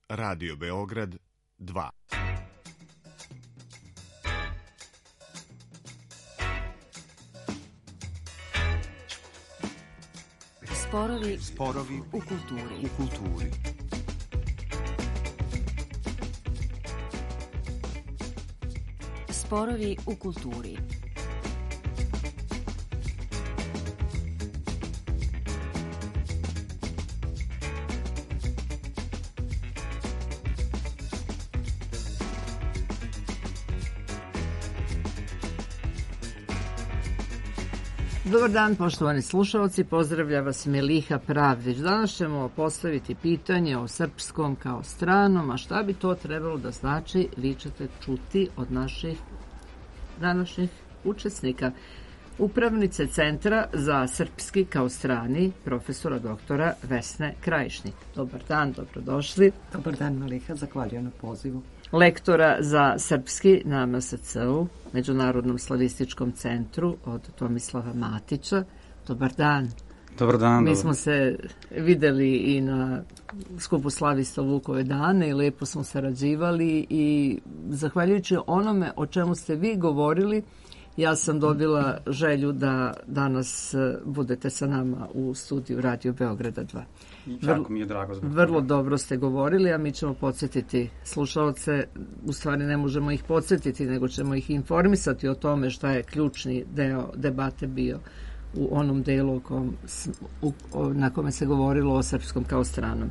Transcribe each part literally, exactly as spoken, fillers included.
Radio Beograd dva. Sporovi, Sporovi u kulturi. U kulturi. Sporovi u kulturi. Dobar dan, poštovani slušalci, pozdravlja vas Meliha Pravdić. Danas ćemo postaviti pitanje o srpskom kao stranom, a šta bi to trebalo da znači, vi ćete čuti od naših današnjih učesnika. Upravnice Centra za srpski kao strani, profesora doktora Vesne Krajišnik. Dobar dan, dobrodošli. Dobar dan, Meliha, zahvaljujem na pozivu. Lektora za srpski na M S C-u, Međunarodnom slavističkom centru, od Tomislava Matića. Dobar dan. Dobar dan. Mi smo se videli i na skupu slavista Vukove dane i lepo smo sarađivali i zahvaljujući onome o čemu ste vi govorili, ja sam dobila želju da danas budete sa nama u studiju Radio Beograda dva. Jako mi je drago zbog Vrlo toga. dobro ste govorili, a mi ćemo podsjetiti slušalce, u stvari ne možemo ih podsjetiti, nego ćemo ih informisati o tome šta je ključni deo debate bio u onom delu u kom, u, na kome se govorilo o srpskom kao stranom.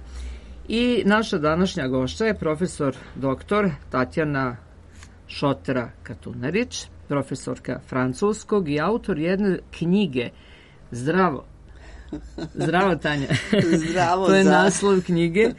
I naša današnja gošća je profesor doktor Tatjana Šotera Katunarić, profesorka francuskog i autor jedne knjige. Zdravo. Zdravo, Tanja. Zdravo. To je za... naslov knjige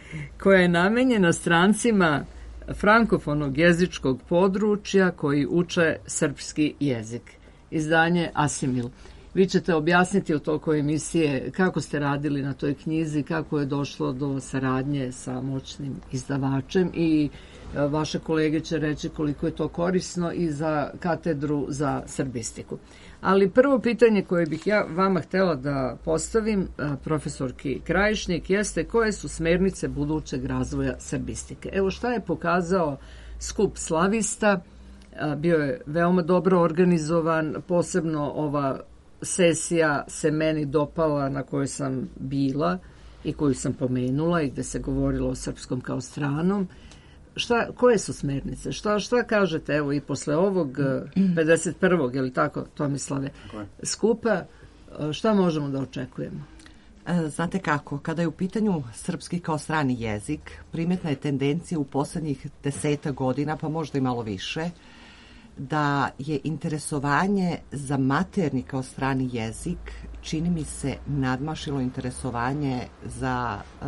koja je namenjena strancima frankofonog jezičkog područja koji uče srpski jezik. Izdanje Asimil. Vi ćete objasniti u toku emisije kako ste radili na toj knjizi, kako je došlo do saradnje sa moćnim izdavačem i vaše kolege će reći koliko je to korisno i za katedru za srbistiku. Ali prvo pitanje koje bih ja vama htjela da postavim, profesorki Krajišnik, jeste koje su smernice budućeg razvoja srbistike. Evo šta je pokazao skup slavista, bio je veoma dobro organizovan, posebno ova sesija se meni dopala na kojoj sam bila i koju sam pomenula i gde se govorilo o srpskom kao stranom. Šta, koje su smernice? Šta, šta kažete, evo i posle ovog pedeset prvog, je li tako, Tomislave, skupa, šta možemo da očekujemo? Znate kako, kada je u pitanju srpski kao strani jezik, primjetna je tendencija u poslednjih deseta godina, pa možda i malo više, da je interesovanje za maternji kao strani jezik, čini mi se, nadmašilo interesovanje za uh,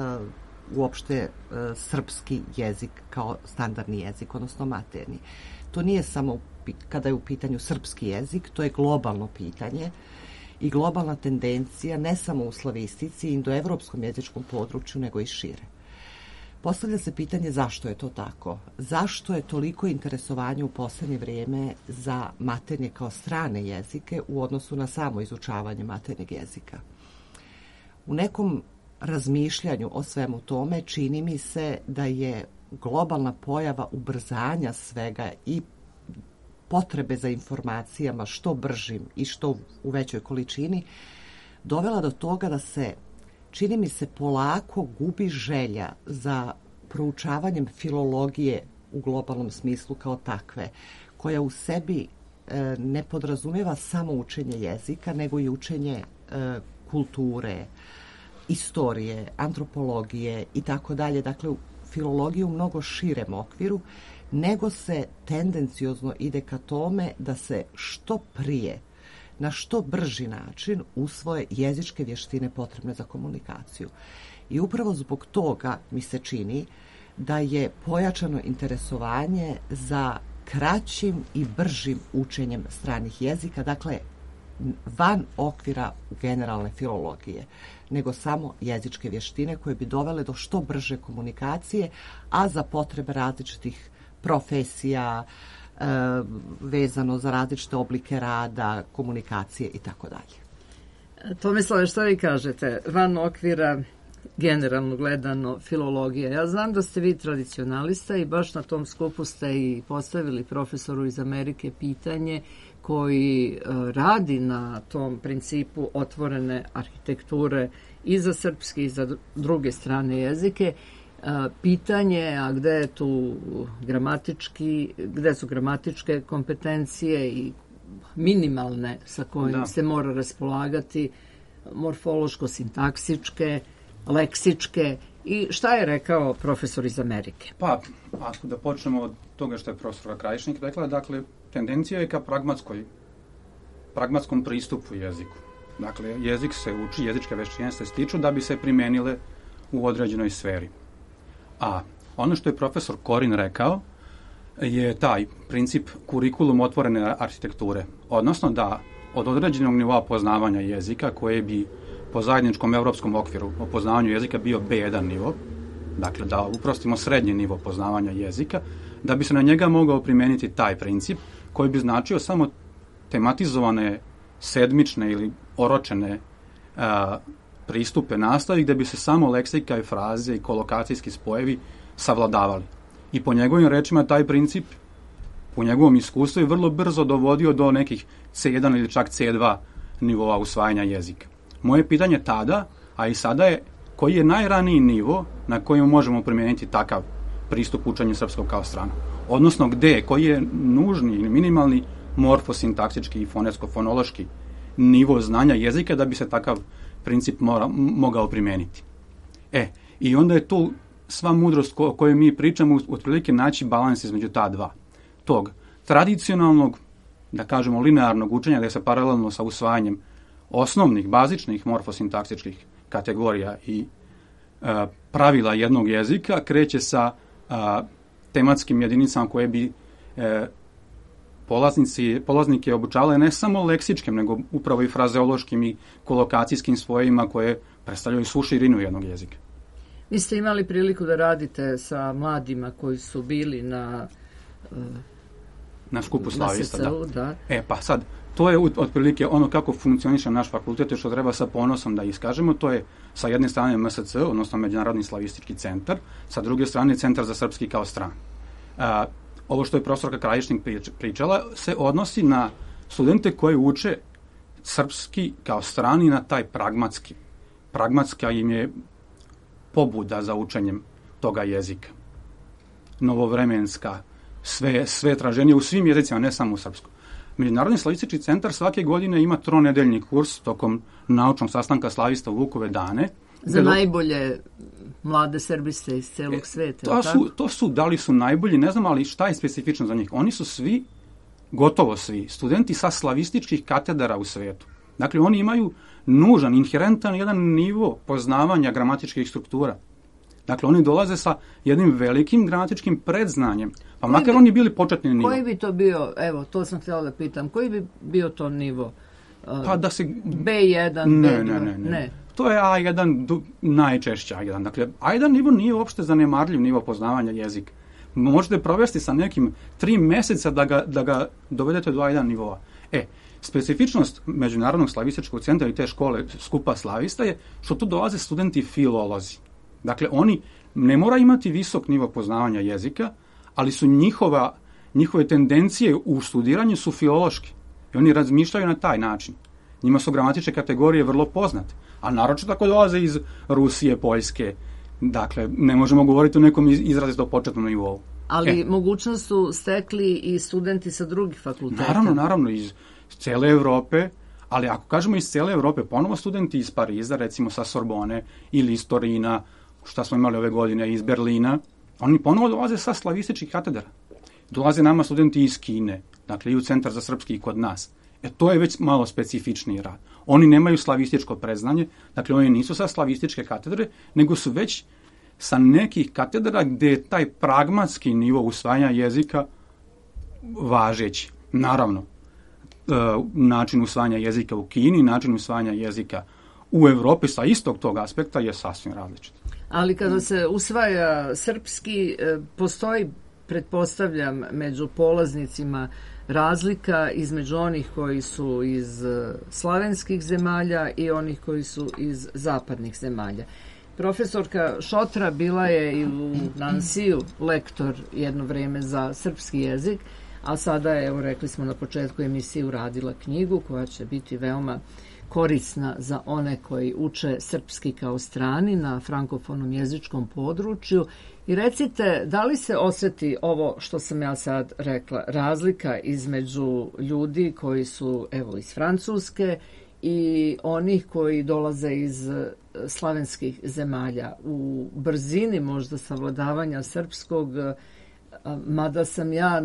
uopšte uh, srpski jezik kao standardni jezik, odnosno maternji. To nije samo kada je u pitanju srpski jezik, to je globalno pitanje i globalna tendencija ne samo u slavistici i indoevropskom jezičkom području, nego i šire. Postavlja se pitanje zašto je to tako? Zašto je toliko interesovanje u posljednje vrijeme za maternje kao strane jezike u odnosu na samo izučavanje maternjeg jezika? U nekom razmišljanju o svemu tome čini mi se da je globalna pojava ubrzanja svega i potrebe za informacijama što bržim i što u većoj količini dovela do toga da se, čini mi se, polako gubi želja za proučavanjem filologije u globalnom smislu kao takve, koja u sebi e, ne podrazumijeva samo učenje jezika, nego i učenje e, kulture, istorije, antropologije i tako dalje. Dakle, u filologiju u mnogo širem okviru, nego se tendenciozno ide ka tome da se što prije, na što brži način usvoje jezičke vještine potrebne za komunikaciju. I upravo zbog toga mi se čini da je pojačano interesovanje za kraćim i bržim učenjem stranih jezika, dakle van okvira generalne filologije, nego samo jezičke vještine koje bi dovele do što brže komunikacije, a za potrebe različitih profesija, e, vezano za različite oblike rada, komunikacije i tako dalje. Tomislave, šta vi kažete? Van okvira generalno gledano filologija. Ja znam da ste vi tradicionalista i baš na tom skupu ste i postavili profesoru iz Amerike pitanje koji radi na tom principu otvorene arhitekture i za srpski i za druge strane jezike. Pitanje, a gde je tu gramatički, gde su gramatičke kompetencije i minimalne sa kojim da. se mora raspolagati, morfološko-sintaksičke, leksičke, i šta je rekao profesor iz Amerike? Pa, ako da počnemo od toga što je profesor Krajišnik rekla, dakle, tendencija je ka pragmatskoj, pragmatskom pristupu jeziku. Dakle, jezik se uči, jezičke veštine se stiču da bi se primenile u određenoj sferi. A ono što je profesor Korin rekao je taj princip kurikulum otvorene arhitekture. Odnosno da od određenog nivoa poznavanja jezika, koje bi po zajedničkom evropskom okviru o poznavanju jezika bio be jedan nivo, dakle da uprostimo srednji nivo poznavanja jezika, da bi se na njega mogao primeniti taj princip koji bi značio samo tematizovane sedmične ili oročene a, pristupe nastavi gde bi se samo leksika i fraze i kolokacijski spojevi savladavali. I po njegovim rečima taj princip, po njegovom iskustvu, je vrlo brzo dovodio do nekih ce jedan ili čak ce dva nivoa usvajanja jezika. Moje pitanje tada, a i sada je, koji je najraniji nivo na kojem možemo primijeniti takav pristup učenju srpskog kao strana? Odnosno gde, koji je nužni ili minimalni morfosintaksički i fonetsko-fonološki nivo znanja jezika da bi se takav princip mora, mogao primijeniti. E, i onda je tu sva mudrost o kojoj mi pričamo otprilike naći balans između ta dva. Tog tradicionalnog, da kažemo, linearnog učenja gde se paralelno sa usvajanjem osnovnih, bazičnih morfosintaksičkih kategorija i e, pravila jednog jezika kreće sa a, tematskim jedinicama koje bi e, polaznici, polaznike obučavale ne samo leksičkim, nego upravo i frazeološkim i kolokacijskim svojima koje predstavljaju svu širinu jednog jezika. Vi ste imali priliku da radite sa mladima koji su bili na uh, na skupu slavista, da. da. E, pa sad, to je otprilike ono kako funkcioniše naš fakultet, što treba sa ponosom da iskažemo. To je sa jedne strane em es ce, odnosno Međunarodni slavistički centar, sa druge strane Centar za srpski kao stran. A, ovo što je profesorka Krajišnik pričala se odnosi na studente koji uče srpski kao strani na taj pragmatski. Pragmatska im je pobuda za učenjem toga jezika. Novovremenska, sve, sve traženije u svim jezicima, ne samo u srpskom. Međunarodni slavistički centar svake godine ima tronedeljni kurs tokom naučnog sastanka slavista u Vukove dane. Za do... najbolje mlade srbiste iz celog e, sveta. To su, to su, da li su najbolji, ne znam, ali šta je specifično za njih? Oni su svi, gotovo svi, studenti sa slavističkih katedara u svetu. Dakle, oni imaju nužan, inherentan jedan nivo poznavanja gramatičkih struktura. Dakle, oni dolaze sa jednim velikim gramatičkim predznanjem, pa koji makar bi, oni bili početni nivo. Koji bi to bio, evo, to sam htjela da pitam, koji bi bio to nivo? Uh, pa da se... be jedan, ne, be dva? Ne, ne, ne. ne. To je a jedan, najčešće a jedan. Dakle, a jedan nivo nije uopšte zanemarljiv nivo poznavanja jezika. Možete provesti sa nekim tri meseca da ga, da ga dovedete do a jedan nivoa. E, specifičnost Međunarodnog slavističkog centra i te škole skupa slavista je što tu dolaze studenti filolozi. Dakle, oni ne mora imati visok nivo poznavanja jezika, ali su njihova, njihove tendencije u studiranju su filološke. I oni razmišljaju na taj način. Njima su gramatičke kategorije vrlo poznate. A naročito tako dolaze iz Rusije, Poljske. Dakle, ne možemo govoriti o nekom izrazito početnom nivou. Ali e. mogućnost su stekli i studenti sa drugih fakulteta. Naravno, naravno, iz cele Evrope. Ali ako kažemo iz cele Evrope, ponovo studenti iz Pariza, recimo sa Sorbone ili iz Torina, šta smo imali ove godine, iz Berlina, oni ponovo dolaze sa slavističkih katedara. Dolaze nama studenti iz Kine, dakle i u Centar za srpski i kod nas. E to je već malo specifičniji rad. Oni nemaju slavističko predznanje, dakle oni nisu sa slavističke katedre, nego su već sa nekih katedra gde je taj pragmatski nivo usvajanja jezika važeći. Naravno, način usvajanja jezika u Kini, način usvajanja jezika u Evropi sa istog tog aspekta je sasvim različit. Ali kada se usvaja srpski, postoji, pretpostavljam, među polaznicima razlika između onih koji su iz slavenskih zemalja i onih koji su iz zapadnih zemalja. Profesorka Šotra bila je i u Nansiju lektor jedno vreme za srpski jezik, a sada je, evo rekli smo na početku emisije, uradila knjigu koja će biti veoma korisna za one koji uče srpski kao strani na frankofonom jezičkom području. I recite, da li se osjeti ovo što sam ja sad rekla, razlika između ljudi koji su, evo, iz Francuske i onih koji dolaze iz slavenskih zemalja u brzini možda savladavanja srpskog, mada sam ja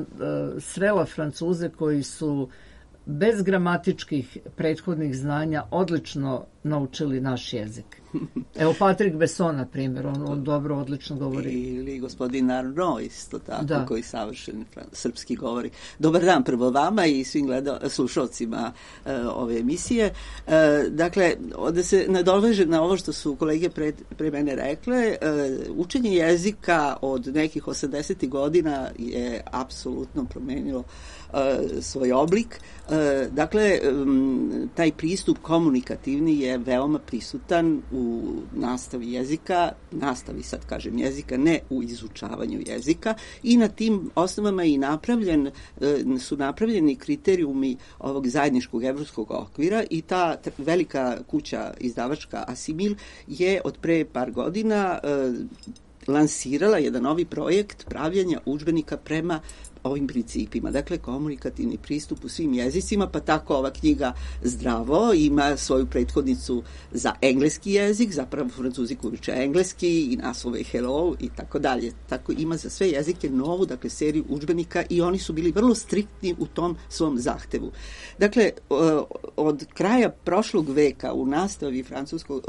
srela Francuze koji su bez gramatičkih prethodnih znanja odlično naučili naš jezik. Evo Patrick Besson, na primjer, on, on dobro, odlično govori. Ili gospodin Arnaud, isto tako, da. Koji savršen srpski govori. Dobar dan prvo vama i svim gleda, slušalcima uh, ove emisije. Uh, dakle, da se nadoveže na ovo što su kolege pre, pre mene rekle, uh, učenje jezika od nekih osamdesetih godina je apsolutno promenilo uh, svoj oblik. Uh, dakle, um, taj pristup komunikativni je veoma prisutan u nastavi jezika, nastavi sad kažem jezika, ne u izučavanju jezika, i na tim osnovama i napravljen, su napravljeni kriterijumi ovog zajedničkog evropskog okvira i ta velika kuća izdavačka Asimil je od pre par godina lansirala jedan novi projekt pravljenja udžbenika prema ovim principima, dakle komunikativni pristup u svim jezicima, pa tako ova knjiga Zdravo ima svoju prethodnicu za engleski jezik, zapravo Francuzi koji uče engleski i naslove Hello i tako dalje. Tako ima za sve jezike novu, dakle seriju udžbenika i oni su bili vrlo striktni u tom svom zahtevu. Dakle, od kraja prošlog veka u nastavi francuskog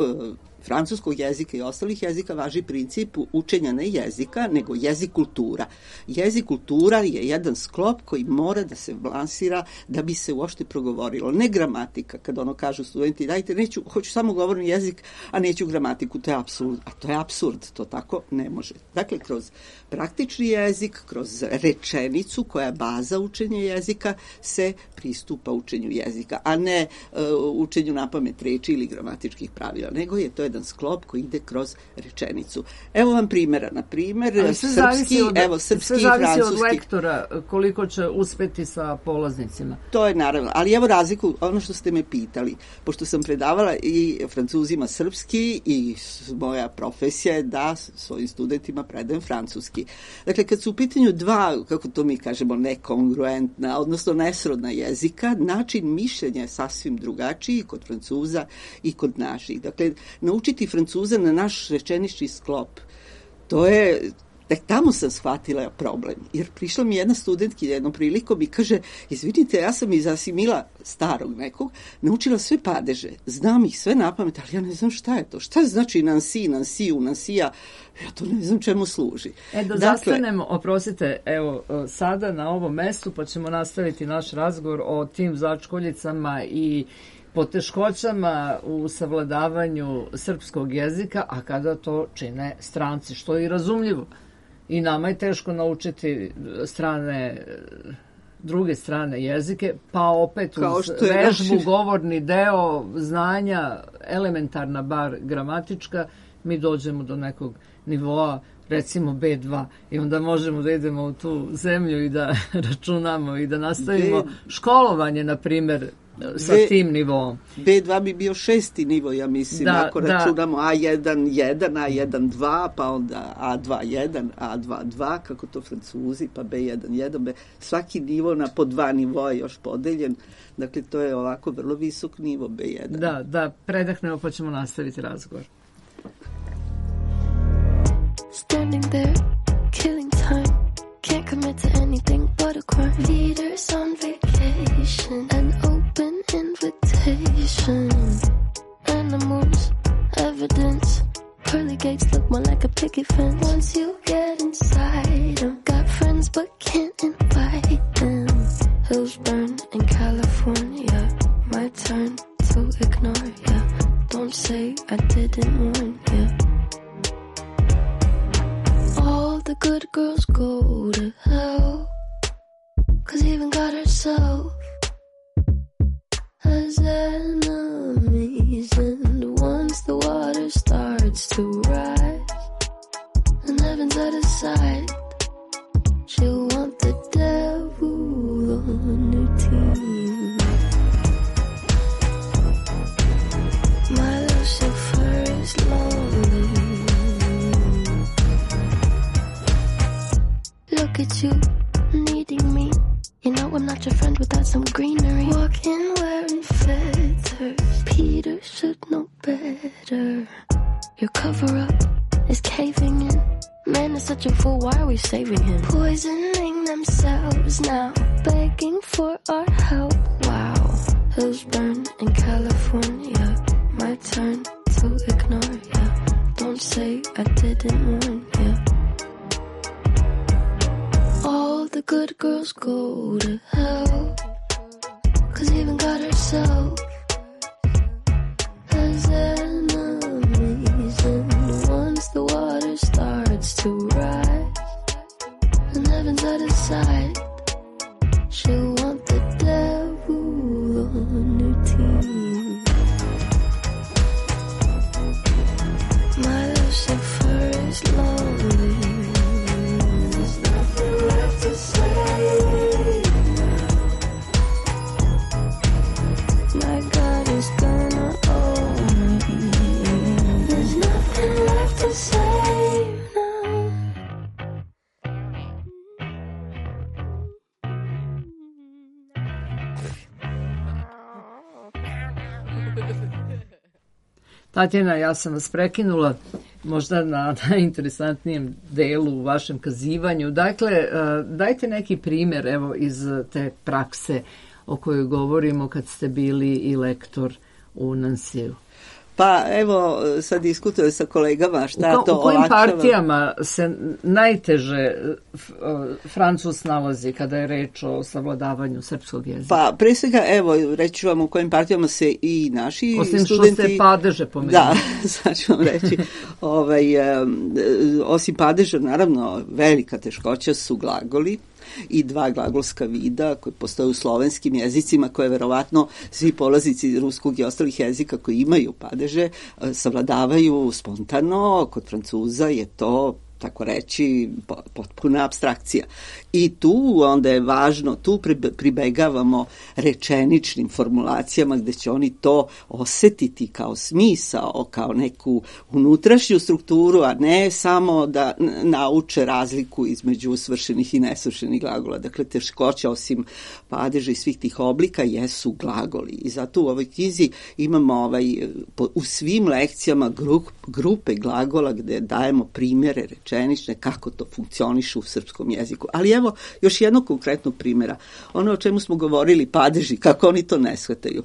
francuskog jezika i ostalih jezika važi princip učenja ne jezika, nego jezik kultura. Jezik kultura je jedan sklop koji mora da se lansira da bi se uopšte progovorilo. Ne gramatika, kad ono kažu studenti, dajte, neću, hoću samo govorni jezik, a neću gramatiku, to je apsurd. A to je apsurd, to tako ne može. Dakle, kroz praktični jezik, kroz rečenicu koja je baza učenja jezika, se pristupa učenju jezika, a ne uh, učenju napamet reči ili gramatičkih pravila, nego je to jedan sklop koji ide kroz rečenicu. Evo vam primjera, na primjer, srpski, od, evo, srpski sve i zavisi francuski. od lektora koliko će uspeti sa polaznicima. To je naravno, ali evo razliku, ono što ste me pitali, pošto sam predavala i Francuzima srpski i moja profesija je da svojim studentima predajem francuski. Dakle, kad su u pitanju dva, kako to mi kažemo, nekongruentna, odnosno nesrodna jezika, način mišljenja je sasvim drugačiji kod Francuza i kod naših. Dakle, naučiti Francuza na naš rečenični sklop, to je, tek tamo sam shvatila problem. Jer prišla mi jedna studentkinja jednom prilikom i kaže, izvinite, ja sam iz Asimila starog nekog naučila sve padeže, znam ih sve napamet, ali ja ne znam šta je to. Šta znači Nansi, Nansiju, Nansija, ja to ne znam čemu služi. E, da dakle, zastanemo, oprostite, evo, sada na ovom mestu, pa ćemo nastaviti naš razgovor o tim začkoljicama i poteškoćama u savladavanju srpskog jezika, a kada to čine stranci, što je i razumljivo. I nama je teško naučiti strane, druge strane jezike, pa opet uz vežbu, naši... govorni deo, znanja, elementarna bar gramatička, mi dođemo do nekog nivoa, recimo be dva, i onda možemo da idemo u tu zemlju i da računamo i da nastavimo be... školovanje, na primjer, sa B, tim nivom. be dva bi bio šesti nivo, ja mislim, da, ako da. računamo a jedan jedan, a jedan dva, pa onda a dva jedan, a dva dva, kako to Francuzi, pa be jedan jedan, be, svaki nivo na po dva nivoa je još podeljen, dakle to je ovako vrlo visok nivo be jedan. Da, da, predahnemo pa ćemo nastaviti razgovor. Standing there, killing time. Can't commit to anything but a crime. Leaders on vacation, an open invitation. Animals, evidence. Pearly gates look more like a picket fence. Once you get inside them, got friends but can't invite them. Hills burn in California. My turn to ignore ya. Don't say I didn't warn ya. All the good girls go to hell, 'cause even God herself has enemies. And once the water starts starts to rise and heaven's at his side, she'll want the devil on her team. My Lucifer is lonely. Look at you, needing me. You know I'm not your friend without some greenery. Walking wearing feathers, Peter should know better. Your cover-up is caving in. Man is such a fool, why are we saving him? Poisoning themselves now, begging for our help. Wow, hills burn in California. My turn to ignore ya. Don't say I didn't warn ya. All the good girls go to hell, 'cause even God herself has enemies. And once the water starts to rise and heaven's at his side, she'll want the devil on her team. My Lucifer is lonely. There's nothing left to say. My God is gonna own me. There's nothing left to say now. Tatjana, ja sam vas prekinula možda na najinteresantnijem delu u vašem kazivanju. Dakle, dajte neki primjer evo iz te prakse o kojoj govorimo kad ste bili i lektor u Nansiju. Pa evo, sad diskutujem sa kolegama šta u ko, to u kojim olakšava. partijama se najteže Francus nalazi kada je reč o savladavanju srpskog jezika? Pa pre svega, evo, reći ću vam u kojim partijama se i naši osim studenti... što ste padeže pomenuli. Da, sad ću vam reći. ovaj, um, osim padeža, naravno, velika teškoća su glagoli i dva glagolska vida koje postoje u slovenskim jezicima, koje verovatno svi polaznici ruskog i ostalih jezika koji imaju padeže savladavaju spontano. Kod Francuza je to, tako reći, potpuna apstrakcija. I tu onda je važno, tu pribegavamo rečeničnim formulacijama gde će oni to osetiti kao smisao, kao neku unutrašnju strukturu, a ne samo da nauče razliku između svršenih i nesvršenih glagola. Dakle, teškoća osim padeža i svih tih oblika jesu glagoli. I zato u ovoj knjizi imamo ovaj, u svim lekcijama grup, grupe glagola gde dajemo primjere rečenične kako to funkcioniše u srpskom jeziku. Ali evo još jednog konkretnog primjera. Ono o čemu smo govorili, padeži, kako oni to ne shvataju.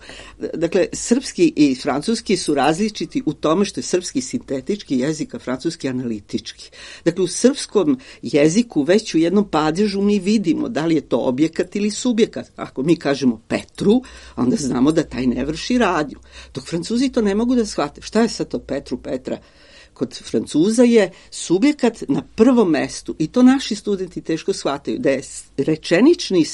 Dakle, srpski i francuski su različiti u tome što je srpski sintetički jezik, a francuski analitički. Dakle, u srpskom jeziku već u jednom padežu mi vidimo da li je to objekat ili subjekat. Ako mi kažemo Petru, onda znamo da taj ne vrši radnju. Dok Francuzi to ne mogu da shvate. Šta je sad to Petru, Petra? Kod Francuza je subjekat na prvom mestu i to naši studenti teško shvataju, da je rečenični uh,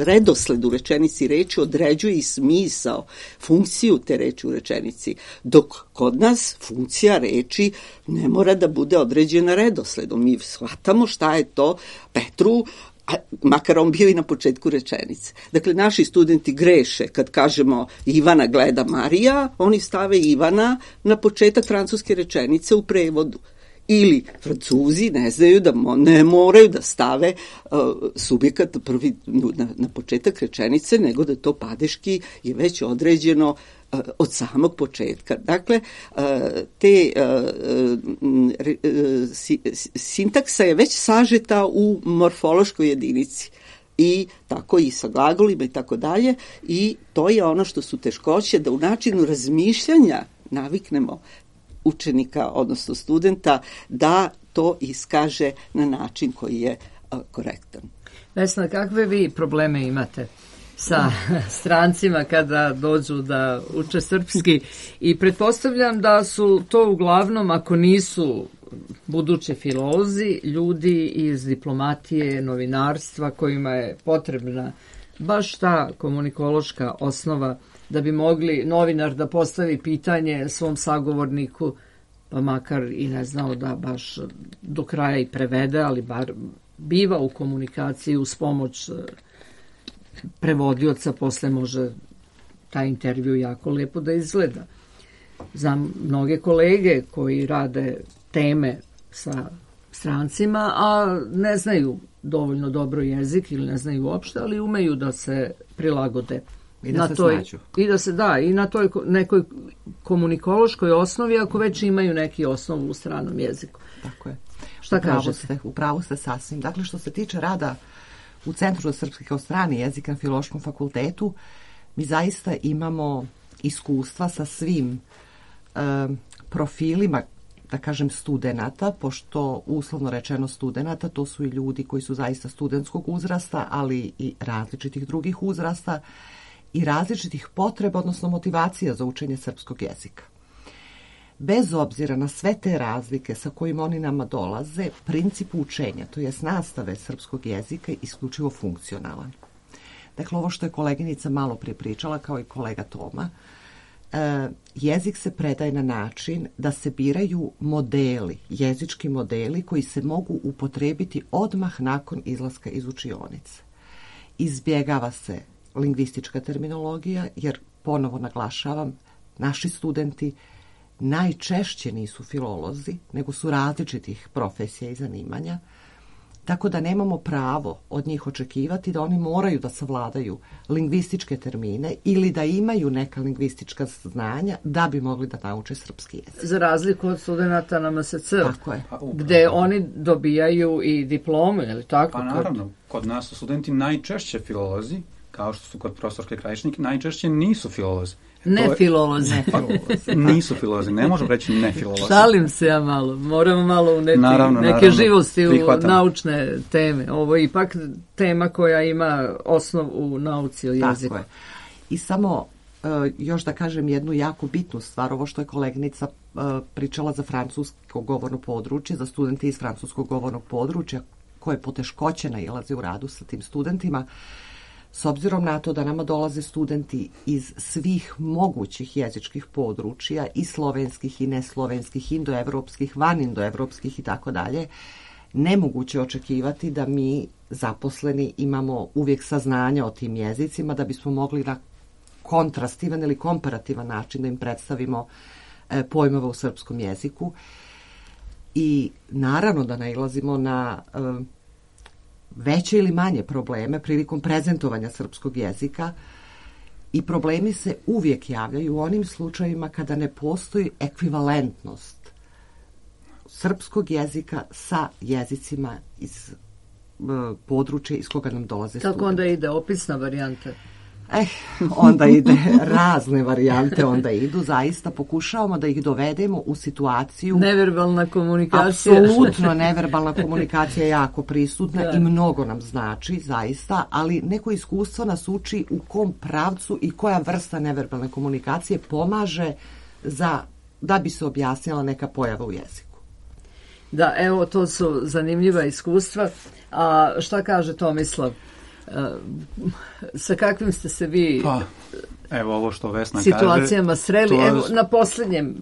redosled u rečenici reči određuje i smisao, funkciju te reči u rečenici, dok kod nas funkcija reči ne mora da bude određena redosledom. Mi shvatamo šta je to Petru, a makar on bio i na početku rečenice. Dakle, naši studenti greše kad kažemo Ivana gleda Marija, oni stave Ivana na početak francuske rečenice u prevodu. Ili Francuzi ne znaju da mo, ne moraju da stave uh, subjekat prvi na, na početak rečenice, nego da to padeški je već određeno uh, od samog početka. Dakle, uh, te uh, uh, si, sintaksa je već sažeta u morfološkoj jedinici. I tako i sa glagolima i tako dalje. I to je ono što su teškoće, da u načinu razmišljanja naviknemo učenika, odnosno studenta, da to iskaže na način koji je a, korektan. Vesna, kakve vi probleme imate sa strancima kada dođu da uče srpski? I pretpostavljam da su to uglavnom, ako nisu budući filolozi, ljudi iz diplomatije, novinarstva, kojima je potrebna baš ta komunikološka osnova da bi mogli novinar da postavi pitanje svom sagovorniku pa makar i ne znao da baš do kraja i prevede, ali bar biva u komunikaciji uz pomoć prevodioca, posle može taj intervju jako lepo da izgleda. Znam mnoge kolege koji rade teme sa strancima, a ne znaju dovoljno dobro jezik ili ne znaju uopšte, ali umeju da se prilagode. I da na se toj, snađu. I da se da, i na toj nekoj komunikološkoj osnovi, ako već imaju neki osnov u stranom jeziku. Tako je. Šta Upravo kažete? ste, upravo ste sasvim. Dakle, što se tiče rada u Centru za srpski kao strani jezik na Filološkom fakultetu, mi zaista imamo iskustva sa svim um, profilima, da kažem, studenata, pošto uslovno rečeno studenata, to su i ljudi koji su zaista studentskog uzrasta, ali i različitih drugih uzrasta i različitih potreba, odnosno motivacija za učenje srpskog jezika. Bez obzira na sve te razlike sa kojim oni nama dolaze, princip učenja, to jest nastave srpskog jezika, je isključivo funkcionalan. Dakle, ovo što je koleginica malo prije pričala, kao i kolega Toma, e, jezik se predaje na način da se biraju modeli, jezički modeli koji se mogu upotrebiti odmah nakon izlaska iz učionice. Izbjegava se lingvistička terminologija, jer, ponovo naglašavam, naši studenti najčešće nisu filolozi, nego su različitih profesija i zanimanja, tako da nemamo pravo od njih očekivati da oni moraju da savladaju lingvističke termine ili da imaju neka lingvistička znanja da bi mogli da nauče srpski jezik. Za razliku od studenta na M S C, Tako je. gde oni dobijaju i diplomu, je li tako? Pa naravno, kod nas su studenti najčešće filolozi, kao što su kod profesorke Krajišnik, najčešće nisu filolozi. Ne je, filolozi. nisu filolozi, ne možemo reći ne filolozi. Šalim se ja malo, moramo malo uneti naravno, neke naravno. živosti Prihvatam. u naučne teme. Ovo je ipak tema koja ima osnov u nauci o jeziku. Tako je. I samo uh, još da kažem jednu jako bitnu stvar, ovo što je koleginica uh, pričala za francusko govorno područje, za studente iz francuskog govornog područja, koje poteškoće nailaze u radu sa tim studentima. S obzirom na to da nama dolaze studenti iz svih mogućih jezičkih područja, i slovenskih i neslovenskih, indoevropskih, vanindoevropskih i tako dalje, nemoguće očekivati da mi zaposleni imamo uvijek saznanja o tim jezicima da bismo mogli na kontrastivan ili komparativan način da im predstavimo e, pojmove u srpskom jeziku. I naravno da nailazimo na e, veće ili manje probleme prilikom prezentovanja srpskog jezika, i problemi se uvijek javljaju u onim slučajevima kada ne postoji ekvivalentnost srpskog jezika sa jezicima iz uh, područja iz koga nam dolaze studenti. Kako onda ide opisna varijanta? Eh, onda ide razne varijante, onda idu, zaista pokušavamo da ih dovedemo u situaciju. Neverbalna komunikacija. Apsolutno neverbalna komunikacija je jako prisutna da. I mnogo nam znači, zaista, ali neko iskustvo nas uči u kom pravcu i koja vrsta neverbalne komunikacije pomaže za, da bi se objasnila neka pojava u jeziku. Da, evo, to su zanimljiva iskustva. A šta kaže Tomislav? Uh, sa kakvim ste se vi pa, evo ovo što Vesna situacijama kaže, sreli? to... Evo, na posljednjem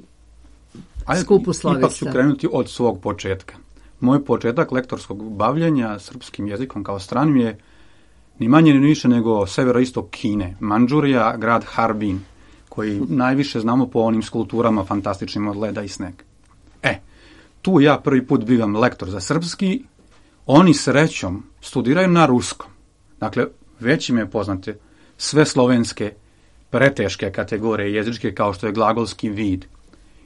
skupu slavista. Ipak ću krenuti od svog početka. Moj početak lektorskog bavljenja srpskim jezikom kao stranim je ni manje ni više nego severoistok Kine, Mandžurija, grad Harbin, koji najviše znamo po onim skulpturama fantastičnim od leda i snega. E, tu ja prvi put bivam lektor za srpski, oni srećom studiraju na ruskom. Dakle, već im je poznate sve slovenske preteške kategorije jezičke kao što je glagolski vid.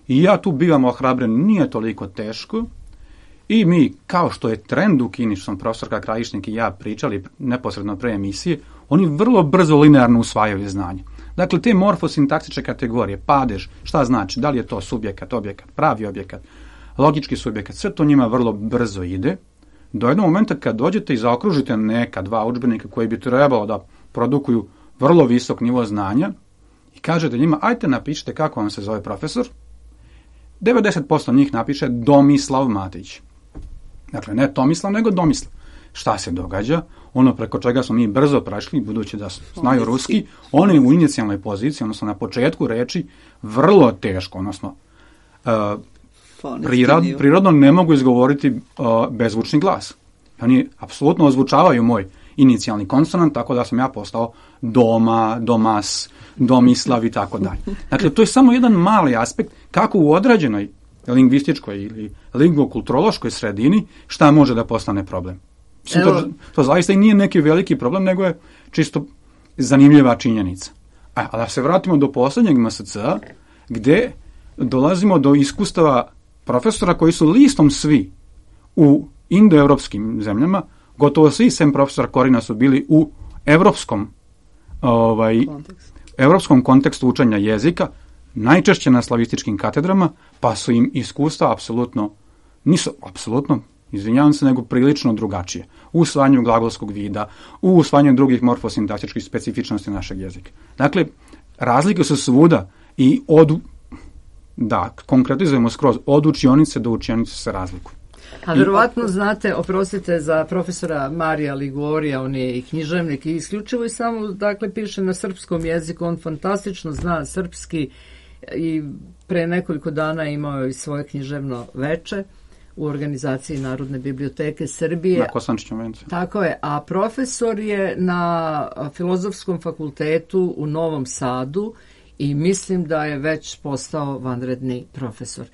I ja tu bivam ohrabren, nije toliko teško, i mi, kao što je trend u Kini, što sam profesorka Krajišnik i ja pričali neposredno pre emisije, oni vrlo brzo linearno usvajaju znanje. Dakle, te morfosintaksične kategorije, padež, šta znači, da li je to subjekat, objekat, pravi objekat, logički subjekat, sve to njima vrlo brzo ide, do jednog momenta kad dođete i zaokružite neka dva udžbenika koji bi trebalo da produkuju vrlo visok nivo znanja i kažete njima, ajte napišite kako vam se zove profesor, devedeset posto njih napiše Domislav Matić. Dakle, ne Tomislav, nego Domislav. Šta se događa? Ono preko čega smo mi brzo prešli, budući da znaju ruski, oni u inicijalnoj poziciji, odnosno na početku reči, vrlo teško, odnosno uh, prirod, prirodno ne mogu izgovoriti uh, bezvučni glas. Oni apsolutno ozvučavaju moj inicijalni konsonant, tako da sam ja postao doma, domas, domislav i tako dalje. Dakle, to je samo jedan mali aspekt kako u određenoj lingvističkoj ili lingvokulturološkoj sredini šta može da postane problem. Mislim, to, to zaista i nije neki veliki problem, nego je čisto zanimljiva činjenica. A, a da se vratimo do posljednjeg M S C-a, gde dolazimo do iskustava profesora koji su listom svi u indoevropskim zemljama, gotovo svi sem profesora Korina su bili u evropskom, ovaj, evropskom kontekstu učenja jezika, najčešće na slavističkim katedrama, pa su im iskustva apsolutno, nisu apsolutno, izvinjavam se, nego prilično drugačije. U usvajanju glagolskog vida, u usvajanju drugih morfosintaktičkih specifičnosti našeg jezika. Dakle, razlike su svuda i od, da, konkretizujemo skroz, od učionice do učionice se razlikuju. A verovatno znate, oprostite, za profesora Marija Ligorija, on je i književnik i isključivo i samo, dakle, piše na srpskom jeziku, on fantastično zna srpski i pre nekoliko dana imao i svoje književno veče u organizaciji Narodne biblioteke Srbije. Na Kosančićom vencu. Tako je, a profesor je na Filozofskom fakultetu u Novom Sadu i mislim da je već postao vanredni profesor.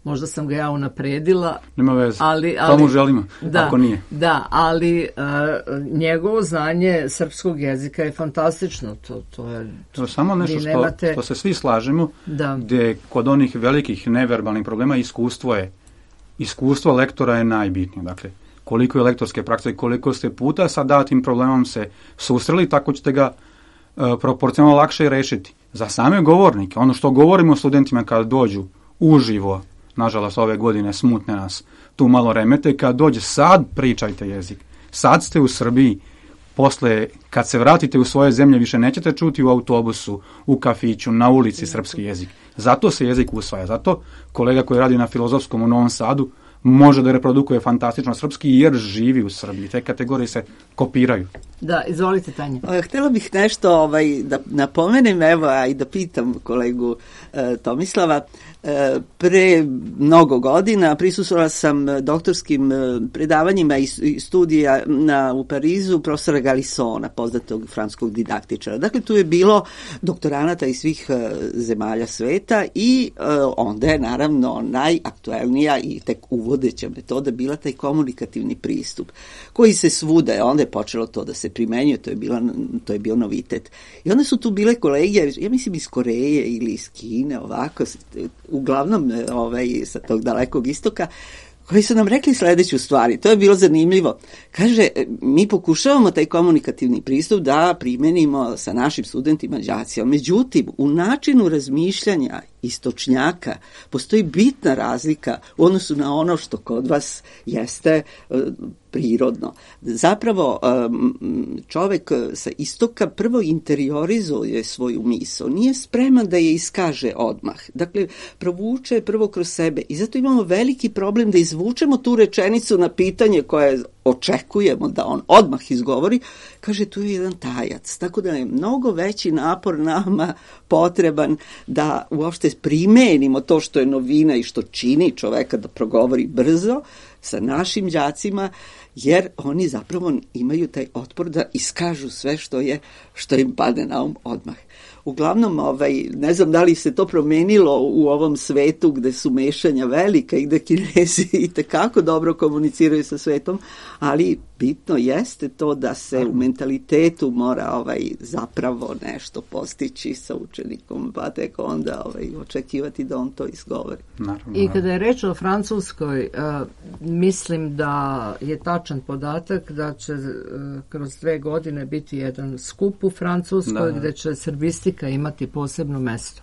Možda sam ga ja unapredila. Nema veze, ali, ali, to mu želimo, da, ako nije. Da, ali uh, njegovo znanje srpskog jezika je fantastično. To, to je, to je samo nešto što, nemate... što se svi slažemo, da. Gde kod onih velikih neverbalnih problema iskustvo je, iskustvo lektora je najbitnije. Dakle, koliko je lektorske prakse i koliko ste puta sa datim problemom se susreli, tako ćete ga uh, proporcionalno lakše rešiti. Za same govornike, ono što govorimo studentima kad dođu uživo, nažalost ove godine smutne nas tu malo remete, kad dođe sad pričajte jezik. Sad ste u Srbiji, posle kad se vratite u svoje zemlje više nećete čuti u autobusu, u kafiću, na ulici srpski jezik. Zato se jezik usvaja. Zato kolega koji radi na Filozofskom u Novom Sadu može da reprodukuje fantastično srpski jer živi u Srbiji. Te kategorije se kopiraju. Da, izvolite Tanja. Htjela bih nešto ovaj, da napomenem, evo, a i da pitam kolegu e, Tomislava. E, pre mnogo godina prisustvovala sam doktorskim predavanjima i, i studija na, u Parizu profesora Galisona, poznatog francuskog didaktičara. Dakle, tu je bilo doktoranata iz svih e, zemalja sveta i e, onda je naravno najaktuelnija i tek uvodeća metoda bila taj komunikativni pristup, koji se svuda, onda je počelo to da se primenjuje, to je, bila, to je bio novitet. I onda su tu bile kolege, ja mislim iz Koreje ili iz Kine, ovako, uglavnom ovaj, sa tog dalekog istoka, koji su nam rekli sledeću stvari. To je bilo zanimljivo. Kaže, mi pokušavamo taj komunikativni pristup da primenimo sa našim studentima, đacima. Međutim, u načinu razmišljanja istočnjaka postoji bitna razlika u odnosu na ono što kod vas jeste uh, prirodno. Zapravo, um, čovek sa istoka prvo interiorizuje svoju misao. Nije spreman da je iskaže odmah. Dakle, provuče prvo kroz sebe. I zato imamo veliki problem da izvučemo tu rečenicu na pitanje koje očekujemo da on odmah izgovori. Kaže, tu je jedan tajac. Tako da je mnogo veći napor nama potreban da uopšte primenimo to što je novina i što čini čoveka da progovori brzo sa našim đacima, jer oni zapravo imaju taj otpor da iskažu sve što je, što im padne na um odmah. Uglavnom, ovaj, ne znam da li se to promenilo u ovom svetu gde su mešanja velika i gde Kinezi i tekako dobro komuniciraju sa svetom, ali bitno jeste to da se u mentalitetu mora ovaj, zapravo nešto postići sa učenikom, pa tek onda ovaj, očekivati da on to izgovori. Naravno. I kada je reč o Francuskoj, uh, mislim da je tačan podatak da će uh, kroz dve godine biti jedan skup u Francuskoj da. Gde će srbistika imati posebno mesto.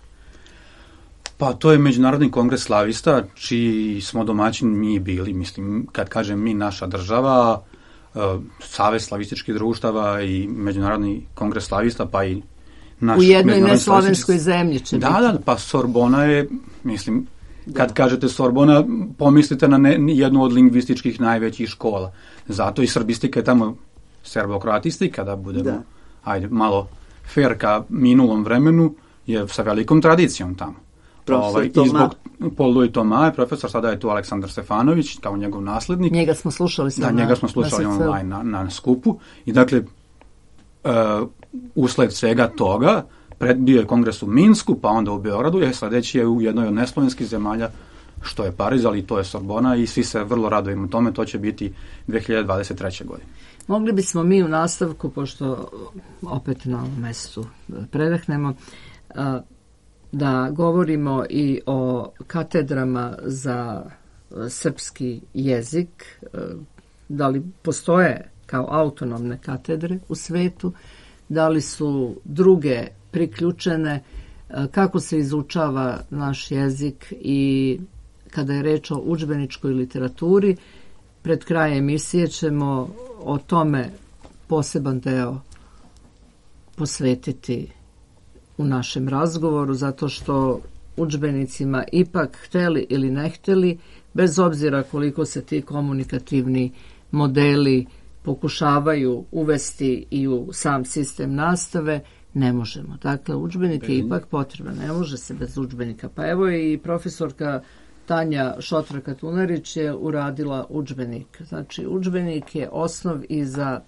Pa to je Međunarodni kongres slavista, čiji smo domaćin mi bili, mislim, kad kažem mi, naša država, uh, Savez slavističkih društava i Međunarodni kongres slavista, pa i naš... U jednoj neslovenskoj zemlji će da, biti. Da, pa Sorbona je, mislim, kad da. kažete Sorbona, pomislite na ne, jednu od lingvističkih najvećih škola. Zato i srbistika je tamo serbokratistika, da budemo, da. ajde, malo fair ka minulom vremenu, je sa velikom tradicijom tamo. profesor ovaj, Toma. I zbog Paul Louis Toma je profesor, sada je tu Aleksandar Stefanović kao njegov naslednik. Njega smo slušali da, na, njega smo slušali na online na, na skupu. I dakle, uh, usled svega toga, pred, bio je kongres u Minsku, pa onda u Beogradu, je sledeći je u jednoj od neslovenskih zemalja, što je Pariz, ali to je Sorbona i svi se vrlo radujemo tome, to će biti dve hiljade dvadeset treće. godine. Mogli bismo mi u nastavku, pošto opet na ovom mestu predahnemo, da govorimo i o katedrama za srpski jezik, da li postoje kao autonomne katedre u svetu, da li su druge priključene, kako se izučava naš jezik i kada je reč o udžbeničkoj literaturi. Pred kraj emisije ćemo o tome poseban deo posvetiti u našem razgovoru, zato što udžbenicima ipak hteli ili ne hteli, bez obzira koliko se ti komunikativni modeli pokušavaju uvesti i u sam sistem nastave, ne možemo. Dakle, udžbenik je ipak potreban, ne može se bez udžbenika. Pa evo i profesorka Tanja Šotra-Katunarić je uradila udžbenik. Znači, udžbenik je osnov i za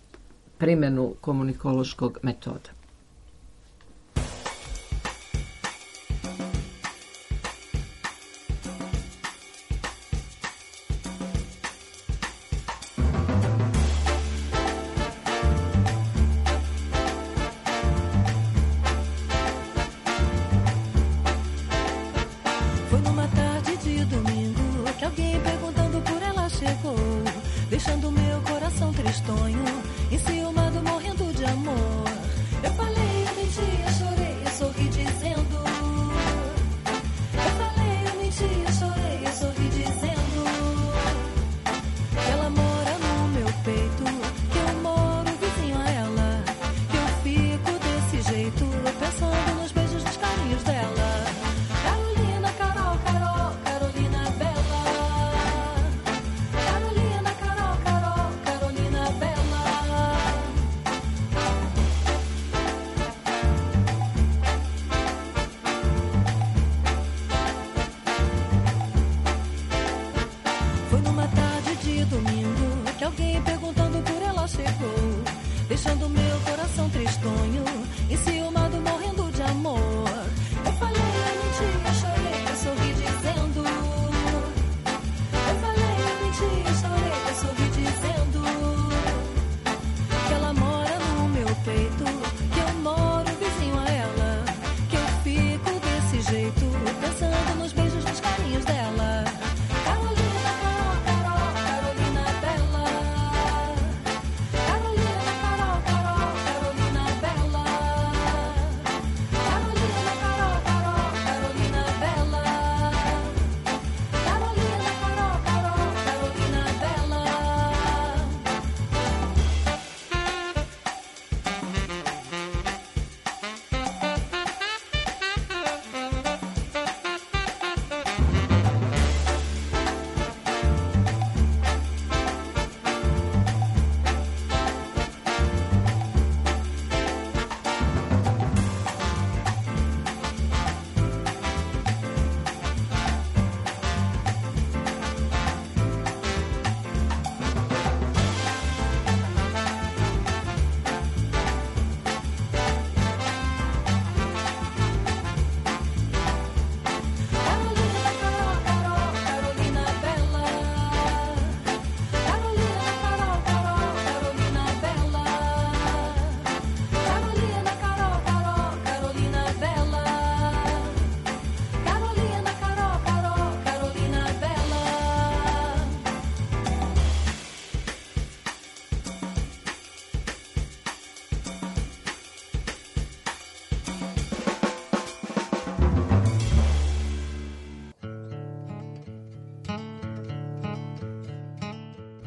primjenu komunikološkog metoda.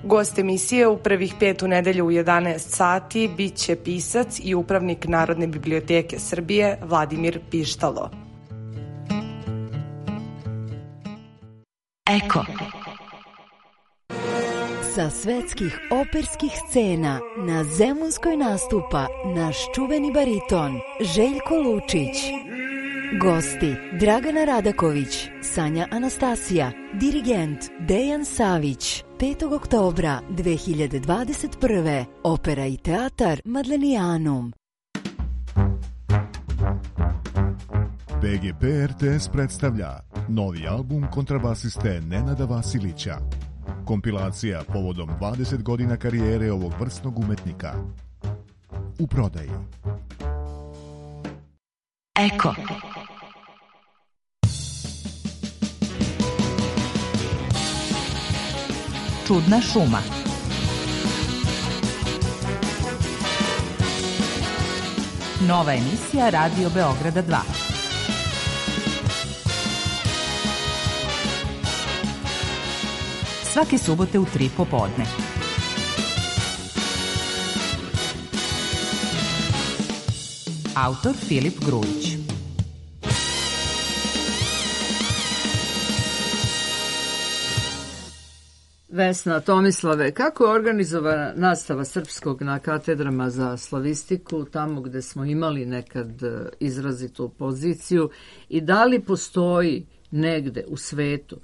Gost emisije u prvih pet u nedelju u jedanaest sati bit će pisac i upravnik Narodne biblioteke Srbije Vladimir Pištalo. Eko. Sa svetskih operskih scena na Zemunskoj nastupa naš čuveni bariton Željko Lučić. Gosti Dragana Radaković, Sanja Anastasija, dirigent Dejan Savić. petog oktobra dve hiljade dvadeset prve. Opera i teatar Madlenijanum. B G P R T S predstavlja novi album kontrabasiste Nenada Vasilića. Kompilacija povodom dvadeset godina karijere ovog vrsnog umetnika. U prodaji. Eko. Čudna šuma. Nova emisija Radio Beograda dva. Svake subote u tri popodne. Autor Filip Grujić. Vesna, Tomislave, kako je organizovana nastava srpskog na katedrama za slavistiku, tamo gde smo imali nekad izrazitu poziciju, i da li postoji negde u svetu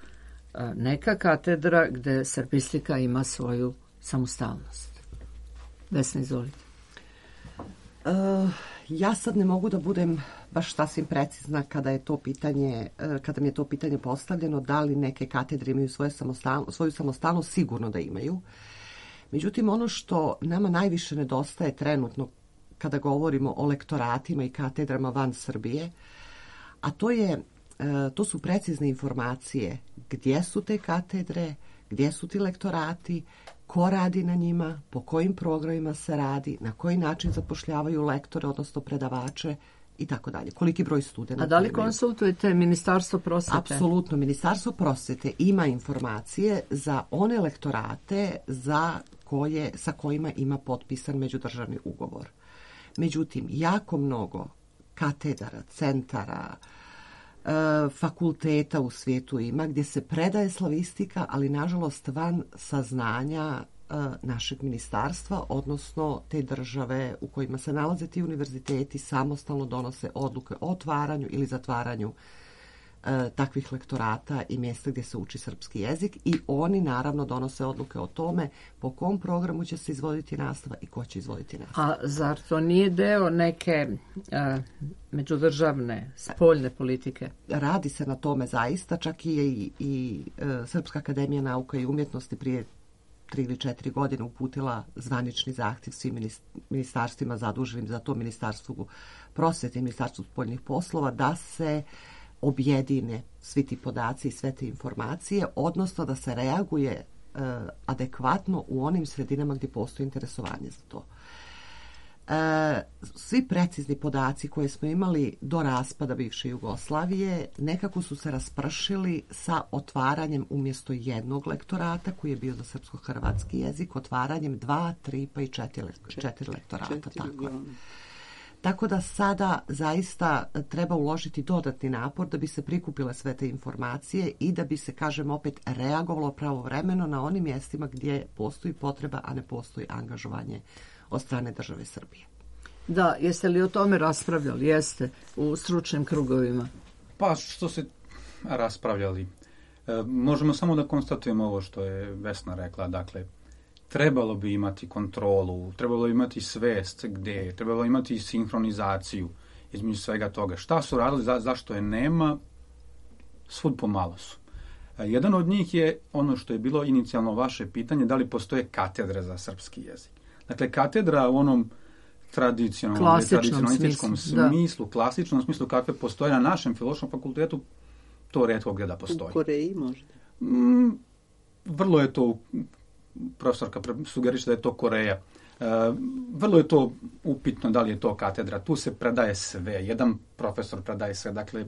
neka katedra gde srpistika ima svoju samostalnost? Vesna, izvolite. Uh, ja sad ne mogu da budem baš sasvim precizna kada je to pitanje, kada mi je to pitanje postavljeno, da li neke katedre imaju svoje samostalno, svoju samostalnost, sigurno da imaju. Međutim, ono što nama najviše nedostaje trenutno kada govorimo o lektoratima i katedrama van Srbije, a to je to su precizne informacije gdje su te katedre, gdje su ti lektorati, ko radi na njima, po kojim programima se radi, na koji način zapošljavaju lektore, odnosno predavače i tako dalje. Koliki broj studenta. A da li konsultujete Ministarstvo prosvete? Apsolutno. Ministarstvo prosvete ima informacije za one lektorate za koje, sa kojima ima potpisan međudržavni ugovor. Međutim, jako mnogo katedara, centara, fakulteta u svijetu ima gdje se predaje slavistika, ali nažalost van saznanja našeg ministarstva, odnosno te države u kojima se nalaze ti univerziteti samostalno donose odluke o otvaranju ili zatvaranju takvih lektorata i mjesta gdje se uči srpski jezik, i oni naravno donose odluke o tome po kom programu će se izvoditi nastava i ko će izvoditi nastavu. A zar to nije deo neke a, međudržavne, spoljne politike? Radi se na tome zaista, čak i, i, i e, Srpska akademija nauka i umjetnosti prije tri ili četiri godine uputila zvanični zahtjev svim ministarstvima zaduženim za to, Ministarstvu prosvete i Ministarstvu spoljnih poslova, da se objedine svi ti podaci i sve te informacije, odnosno da se reaguje e, adekvatno u onim sredinama gdje postoji interesovanje za to. E, svi precizni podaci koje smo imali do raspada bivše Jugoslavije nekako su se raspršili sa otvaranjem umjesto jednog lektorata koji je bio za srpsko-hrvatski jezik, otvaranjem dva, tri pa i četiri, četiri lektorata. Četiri, tako je. Tako da sada zaista treba uložiti dodatni napor da bi se prikupile sve te informacije i da bi se, kažem opet, reagovalo pravovremeno na onim mjestima gdje postoji potreba, a ne postoji angažovanje od strane države Srbije. Da, jeste li o tome raspravljali? Jeste, u stručnim krugovima? Pa što se raspravljali? E, možemo samo da konstatujemo ovo što je Vesna rekla, dakle, trebalo bi imati kontrolu, trebalo bi imati svest gdje, trebalo imati sinhronizaciju između svega toga. Šta su radili, za, zašto je nema, svud pomalo su. Jedan od njih je ono što je bilo inicijalno vaše pitanje, da li postoje katedre za srpski jezik. Dakle, katedra u onom tradicionalnom, tradicionalističkom smislu, smislu klasičnom smislu kakve postoje na našem filološkom fakultetu, to retko gdje da postoji. U Koreji možda? Mm, vrlo je to, profesorka sugeriše da je to Koreja. E, vrlo je to upitno da li je to katedra. Tu se predaje sve. Jedan profesor predaje sve. Dakle,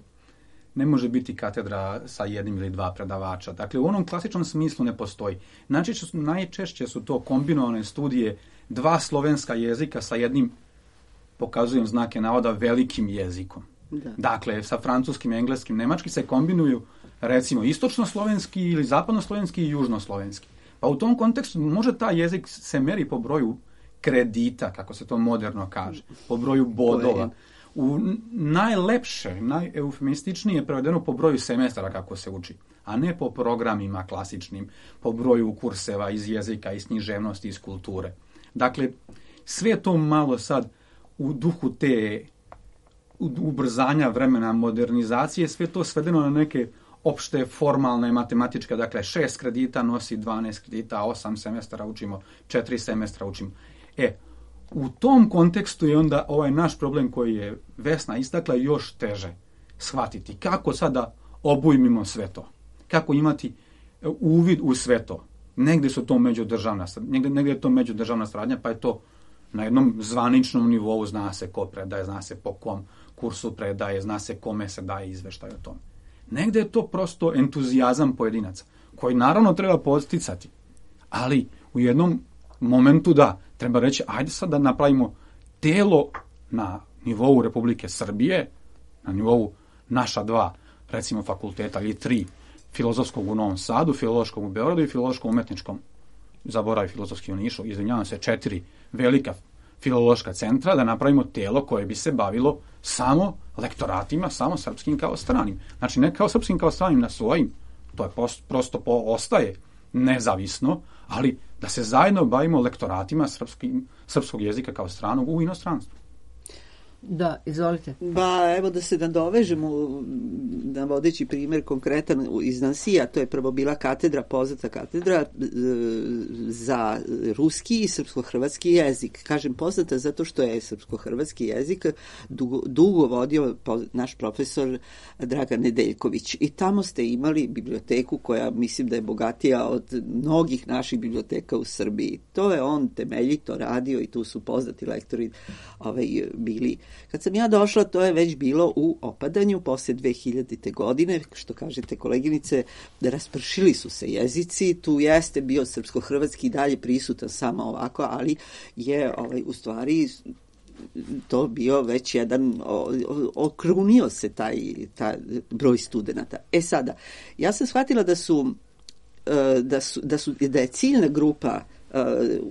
ne može biti katedra sa jednim ili dva predavača. Dakle, u onom klasičnom smislu ne postoji. Najčešće su, najčešće su to kombinovane studije dva slovenska jezika sa jednim, pokazujem znake navoda, velikim jezikom. Da. Dakle, sa francuskim, engleskim, nemački se kombinuju recimo istočno-slovenski ili zapadno-slovenski i južno-slovenski. Pa u tom kontekstu može taj jezik se meri po broju kredita, kako se to moderno kaže, po broju bodova. u najlepše, najeufemističnije prevedeno po broju semestara kako se uči, a ne po programima klasičnim, po broju kurseva iz jezika, iz književnosti, iz kulture. Dakle, sve to malo sad u duhu te ubrzanja vremena modernizacije, sve to svedeno na neke opšte formalne matematičke, dakle šest kredita nosi dvanaest kredita, osam semestara učimo, četiri semestra učimo. E, u tom kontekstu je onda ovaj naš problem koji je Vesna istakla još teže shvatiti. Kako sada obujmimo sve to? Kako imati uvid u sve to? Negde su to međudržavna, negde, negde je to međudržavna saradnja, pa je to na jednom zvaničnom nivou, zna se ko predaje, zna se po kom kursu predaje, zna se kome se daje izveštaj o tome. Negde je to prosto entuzijazam pojedinaca, koji naravno treba podsticati, ali u jednom momentu da, treba reći, ajde sad da napravimo telo na nivou Republike Srbije, na nivou naša dva, recimo, fakulteta ili tri, filozofskog u Novom Sadu, filološkog u Beogradu i filološkom umetničkom, zaboravi filozofski u Nišu, izvinjavam se, četiri velika filološka centra, da napravimo telo koje bi se bavilo samo lektoratima, samo srpskim kao stranim. Znači, ne kao srpskim kao stranim na svojim, to je post, prosto po, ostaje nezavisno, ali da se zajedno bavimo lektoratima srpskim, srpskog jezika kao stranog u inostranstvu. Da, izvolite. Ba, evo da se nadovežemo, navodeći primjer konkretan iz Nansija, to je prvo bila katedra, poznata katedra za ruski i srpsko-hrvatski jezik. Kažem poznata zato što je srpsko-hrvatski jezik dugo, dugo vodio naš profesor Dragan Nedeljković. I tamo ste imali biblioteku koja mislim da je bogatija od mnogih naših biblioteka u Srbiji. To je on temeljito radio i tu su poznati lektori ovaj, bili. Kad sam ja došla, to je već bilo u opadanju posle dve hiljadite. godine, što kažete koleginice, da raspršili su se jezici, tu jeste bio srpsko-hrvatski dalje prisutan samo ovako, ali je ovaj, u stvari to bio već jedan, okrunio se taj, taj broj studenata. E sada, ja sam shvatila da su, da su, da su, da je ciljna grupa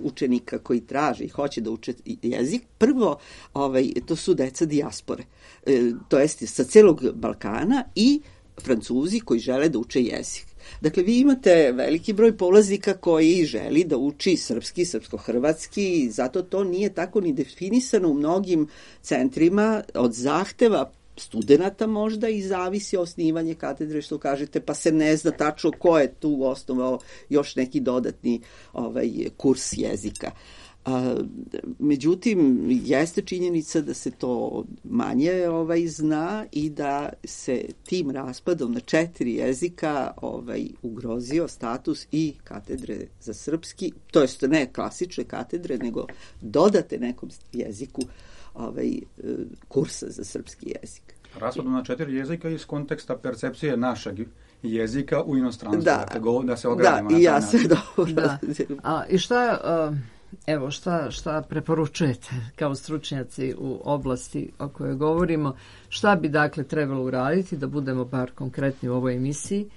učenika koji traže i hoće da uče jezik, prvo ovaj, to su deca dijaspore, e, to jest sa celog Balkana i Francuzi koji žele da uče jezik. Dakle, vi imate veliki broj polaznika koji želi da uči srpski, srpsko-hrvatski, zato to nije tako ni definisano u mnogim centrima od zahteva studenata možda i zavisi osnivanje katedre, što kažete, pa se ne zna tačno ko je tu osnovao još neki dodatni ovaj, kurs jezika. A, međutim, jeste činjenica da se to manje ovaj, zna i da se tim raspadom na četiri jezika ovaj, ugrozio status i katedre za srpski, to jest ne klasične katedre, nego dodate nekom jeziku ovaj, kursa za srpski jezik. Raspadom na četiri jezika iz konteksta percepcije našeg jezika u inostranstvu. Da, dakle, da se ogradimo. Da, i ja se dobro. Da. A, I šta, evo, šta, šta preporučujete kao stručnjaci u oblasti o kojoj govorimo? Šta bi, dakle, trebalo uraditi, da budemo bar konkretni u ovoj emisiji?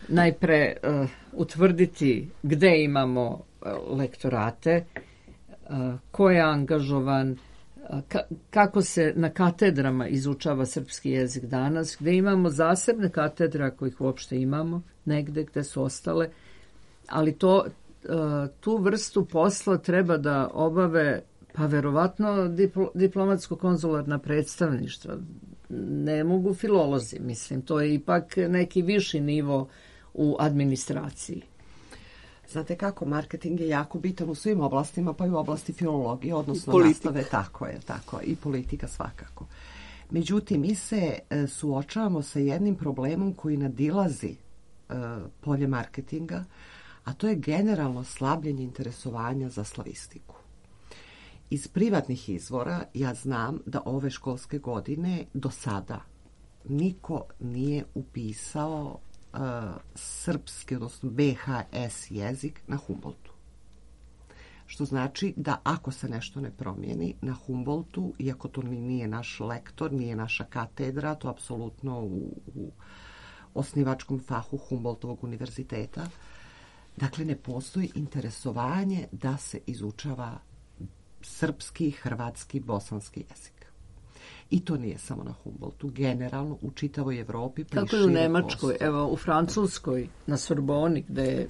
Najpre uh, utvrditi gde imamo uh, lektorate, uh, ko je angažovan, Ka, kako se na katedrama izučava srpski jezik danas, gde imamo zasebne katedre, ako ih uopšte imamo, negde gde su ostale, ali to, tu vrstu posla treba da obave, pa verovatno diplo, diplomatsko-konzularna predstavništva. Ne mogu filolozi, mislim, to je ipak neki viši nivo u administraciji. Znate kako, marketing je jako bitan u svim oblastima, pa i u oblasti filologije, odnosno politika. Nastave, tako je, tako i politika svakako. Međutim, mi se e, suočavamo sa jednim problemom koji nadilazi e, polje marketinga, a to je generalno slabljenje interesovanja za slavistiku. Iz privatnih izvora ja znam da ove školske godine do sada niko nije upisao Uh, srpski, odnosno be ha es jezik na Humboldtu. Što znači da ako se nešto ne promijeni na Humboldtu, iako to nije naš lektor, nije naša katedra, to apsolutno u, u osnivačkom fahu Humboldtovog univerziteta, dakle ne postoji interesovanje da se izučava srpski, hrvatski, bosanski jezik. I to nije samo na Humboldtu, generalno u čitavoj Evropi. Kako je u Nemačkoj, postoje. Evo u Francuskoj, na Sorboni, gde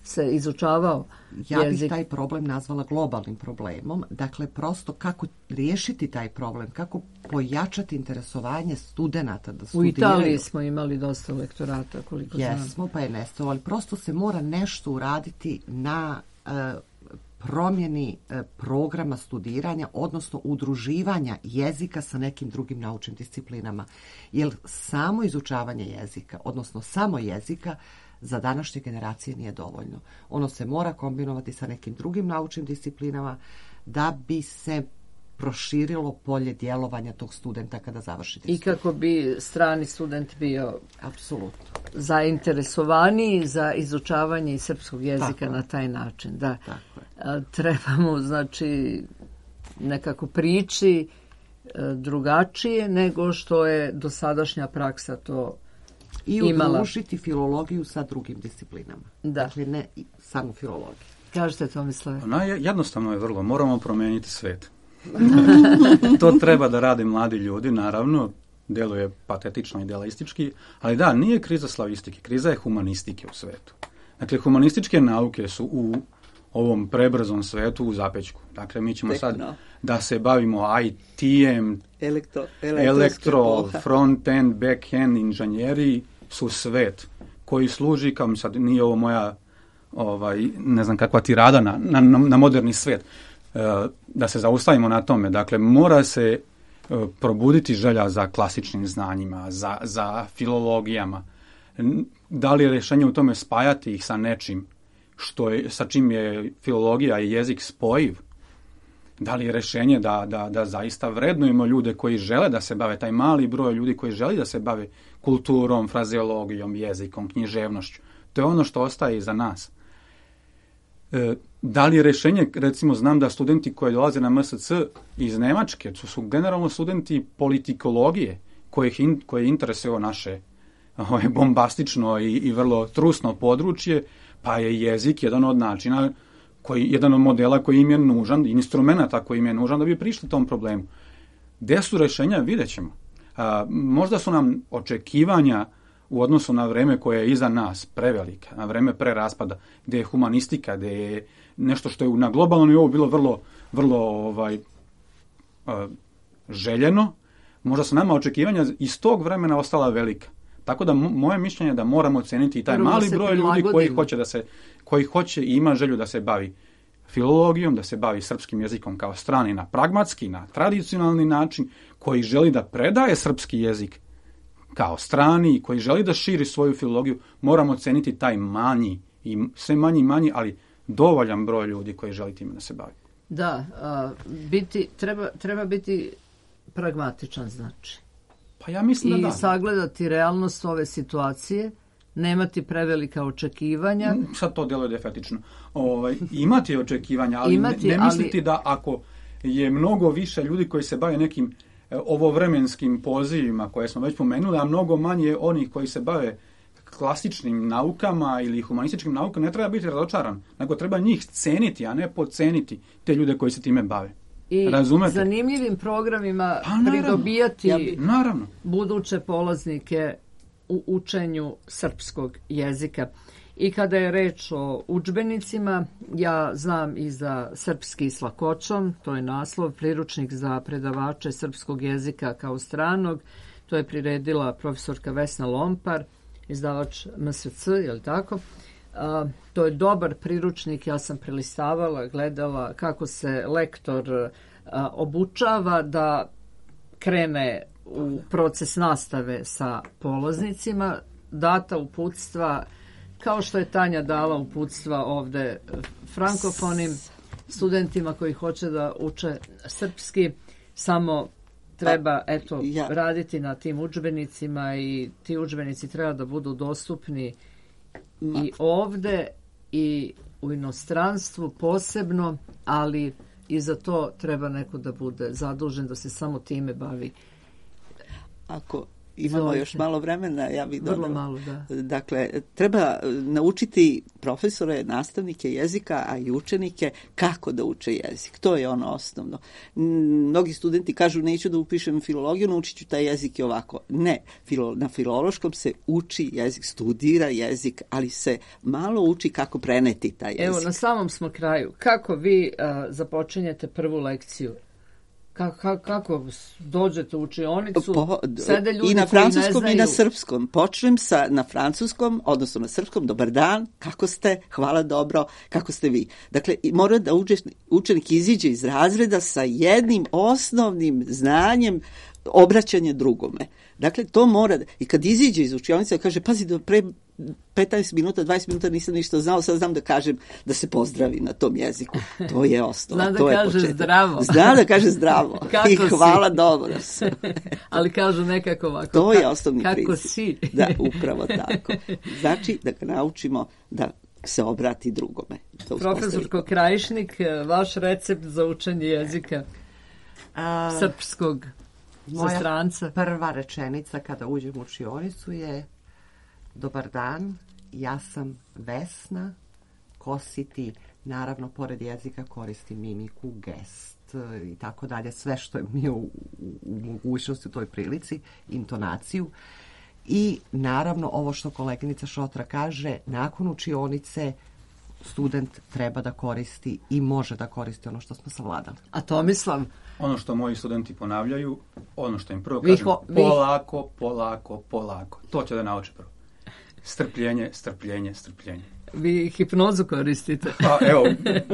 se izučavao ja jezik. bih taj problem nazvala globalnim problemom. Dakle, prosto kako riješiti taj problem, kako pojačati interesovanje studenata da studiraju. U Italiji smo imali dosta lektorata, koliko znam. Jesmo, pa je nestalo, ali prosto se mora nešto uraditi na uh, promjeni uh, programa studiranja, odnosno udruživanja jezika sa nekim drugim naučnim disciplinama. Jer samo izučavanje jezika, odnosno samo jezika, za današnje generacije nije dovoljno. Ono se mora kombinovati sa nekim drugim naučnim disciplinama da bi se proširilo polje djelovanja tog studenta kada završi I kako bi strani student bio apsolutno zainteresovaniji za izučavanje srpskog jezika Tako. na taj način. Da. Tako je. Trebamo, znači, nekako prići drugačije nego što je dosadašnja praksa to I udružiti filologiju sa drugim disciplinama. Da. Dakle, ne samo filologiju. Kažete, Tomislave? No, jednostavno je vrlo. Moramo promijeniti svet. To treba da rade mladi ljudi, naravno. Deluje patetično i idealistički. Ali da, nije kriza slavistike. Kriza je humanistike u svetu. Dakle, humanističke nauke su u ovom prebrzom svetu u zapećku. Dakle, mi ćemo Tekno. sad da se bavimo I T-em, Elektro, elektro front-end, back-end, inženjeri su svet koji služi, kao mi sad nije ovo moja ovaj, ne znam kakva tirada na, na, na moderni svet. E, da se zaustavimo na tome. Dakle, mora se e, probuditi želja za klasičnim znanjima, za, za filologijama. Da li je rješenje u tome spajati ih sa nečim što je, sa čim je filologija i jezik spojiv? Da li je rješenje da, da, da zaista vrednujemo ljude koji žele da se bave, taj mali broj ljudi koji želi da se bave kulturom, frazeologijom, jezikom, književnošću? To je ono što ostaje iza nas. E, da li je rješenje, recimo znam da studenti koji dolaze na M S C iz Nemačke, to su generalno studenti politikologije kojih in, koje interesuje naše ovaj, bombastično i, i vrlo trusno područje, pa je jezik jedan od načina, koji, jedan od modela koji im je nužan, instrumenta koji im je nužan da bi prišli tom problemu. Gde su rješenja, vidjet ćemo. A, možda su nam očekivanja u odnosu na vreme koje je iza nas prevelika, na vreme pre raspada, gdje je humanistika, gdje je nešto što je na globalnom nivou bilo vrlo, vrlo ovaj, a, željeno, možda su nama očekivanja iz tog vremena ostala velika. Tako da moje mišljenje je da moramo oceniti i taj Prvo mali broj ljudi koji hoće da se, koji hoće i ima želju da se bavi filologijom, da se bavi srpskim jezikom kao strani na pragmatski, na tradicionalni način, koji želi da predaje srpski jezik kao strani i koji želi da širi svoju filologiju. Moramo oceniti taj manji, i sve manji i manji, ali dovoljan broj ljudi koji želi time da se bavi. Da, a, biti, treba, treba biti pragmatičan, znači. Pa ja mislim I da da. sagledati realnost ove situacije, nemati prevelika očekivanja. Sad to djeluje defetično. Ovaj, imati očekivanja, ali imati, ne, ne misliti ali... da ako je mnogo više ljudi koji se bave nekim e, ovovremenskim pozivima koje smo već pomenuli, a mnogo manje onih koji se bave klasičnim naukama ili humanističkim naukama, ne treba biti razočaran, nego treba njih ceniti, a ne podceniti te ljude koji se time bave. I Razumete? zanimljivim programima pa, naravno, pridobijati ja bi, naravno. buduće polaznike u učenju srpskog jezika. I kada je reč o udžbenicima, ja znam i za Srpski s lakoćom, to je naslov, priručnik za predavače srpskog jezika kao stranog, to je priredila profesorka Vesna Lompar, izdavač M S C, je li tako? A, to je dobar priručnik, ja sam prelistavala, gledala kako se lektor a, obučava da krene u proces nastave sa polaznicima, data uputstva, kao što je Tanja dala uputstva ovde frankofonim studentima koji hoće da uče srpski, samo treba eto ja. raditi na tim udžbenicima i ti udžbenici treba da budu dostupni i ovde i u inostranstvu posebno, ali i za to treba neko da bude zadužen da se samo time bavi. Ako Imamo Izvolite. još malo vremena, ja bih dodala. Vrlo malo, da. Dakle, treba naučiti profesore, nastavnike jezika, a i učenike kako da uče jezik. To je ono osnovno. Mnogi studenti kažu neću da upišem filologiju, naučit ću taj jezik i ovako. Ne, filo, na filološkom se uči jezik, studira jezik, ali se malo uči kako preneti taj jezik. Evo, na samom smo kraju. Kako vi uh, započinjete prvu lekciju? Kako, kako dođete u učionicu, po, sede ljudi i na koji ne francuskom znaju... i na srpskom. Počnem sa na francuskom, odnosno na srpskom, dobar dan, kako ste, hvala dobro, kako ste vi. Dakle, mora da uđe, učenik iziđe iz razreda sa jednim osnovnim znanjem obraćanje drugome. Dakle, to mora, i kad iziđe iz učionice, kaže, pazi, do pre petnaest minuta, dvadeset minuta nisam ništa znao, sad znam da kažem da se pozdravi na tom jeziku. To je osnova, Zna da to je kaže početak. zdravo. Zna da kaže zdravo. Kako I si? hvala dobro. Ali kažu nekako ovako. To je osnovni kako princip. si? Da, upravo tako. Znači da ga naučimo da se obrati drugome. Profesorko Krajišnik, vaš recept za učenje jezika A, srpskog za stranca? Prva rečenica kada uđem u učionicu je dobar dan, ja sam Vesna, ko si ti? Naravno, pored jezika koristim mimiku, gest i tako dalje, sve što je mi u, u, u mogućnosti u toj prilici, intonaciju. I naravno, ovo što koleginica Šotra kaže, nakon učionice student treba da koristi i može da koristi ono što smo savladali. A Tomislav? Ono što moji studenti ponavljaju, ono što im prvo Vi kažem, ho, vi... polako, polako, polako. To će da nauče prvo. Strpljenje, strpljenje, strpljenje. Vi hipnozu koristite. Pa, evo,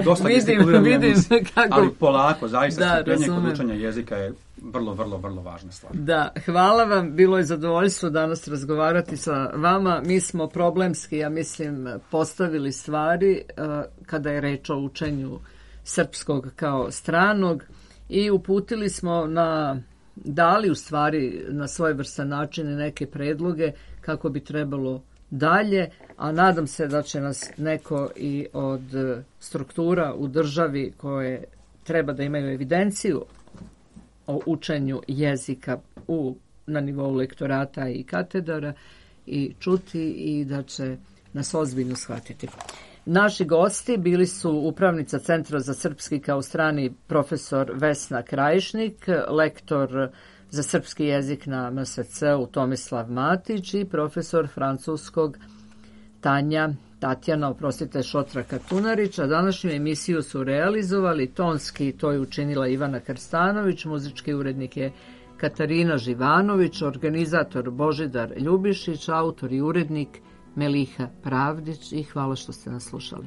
dosta vidim, vidim kako... Ali polako, zaista da, strpljenje razumem. kod učenja jezika je vrlo, vrlo, vrlo važna stvar. Da, hvala vam, bilo je zadovoljstvo danas razgovarati sa vama. Mi smo problemski, ja mislim, postavili stvari uh, kada je reč o učenju srpskog kao stranog i uputili smo na, dali u stvari na svojevrstan način neke predloge kako bi trebalo dalje, a nadam se da će nas neko i od struktura u državi koje treba da imaju evidenciju o učenju jezika u, na nivou lektorata i katedara i čuti i da će nas ozbiljno shvatiti. Naši gosti bili su upravnica Centra za srpski kao strani profesor Vesna Krajišnik, lektor za srpski jezik na M S C-u Tomislav Matić i profesor francuskog Tanja Tatjana, oprostite, Šotra Katunarić, a današnju emisiju su realizovali tonski, to je učinila Ivana Krstanović, muzički urednik je Katarina Živanović, organizator Božidar Ljubišić, autor i urednik Meliha Pravdić i hvala što ste nas slušali.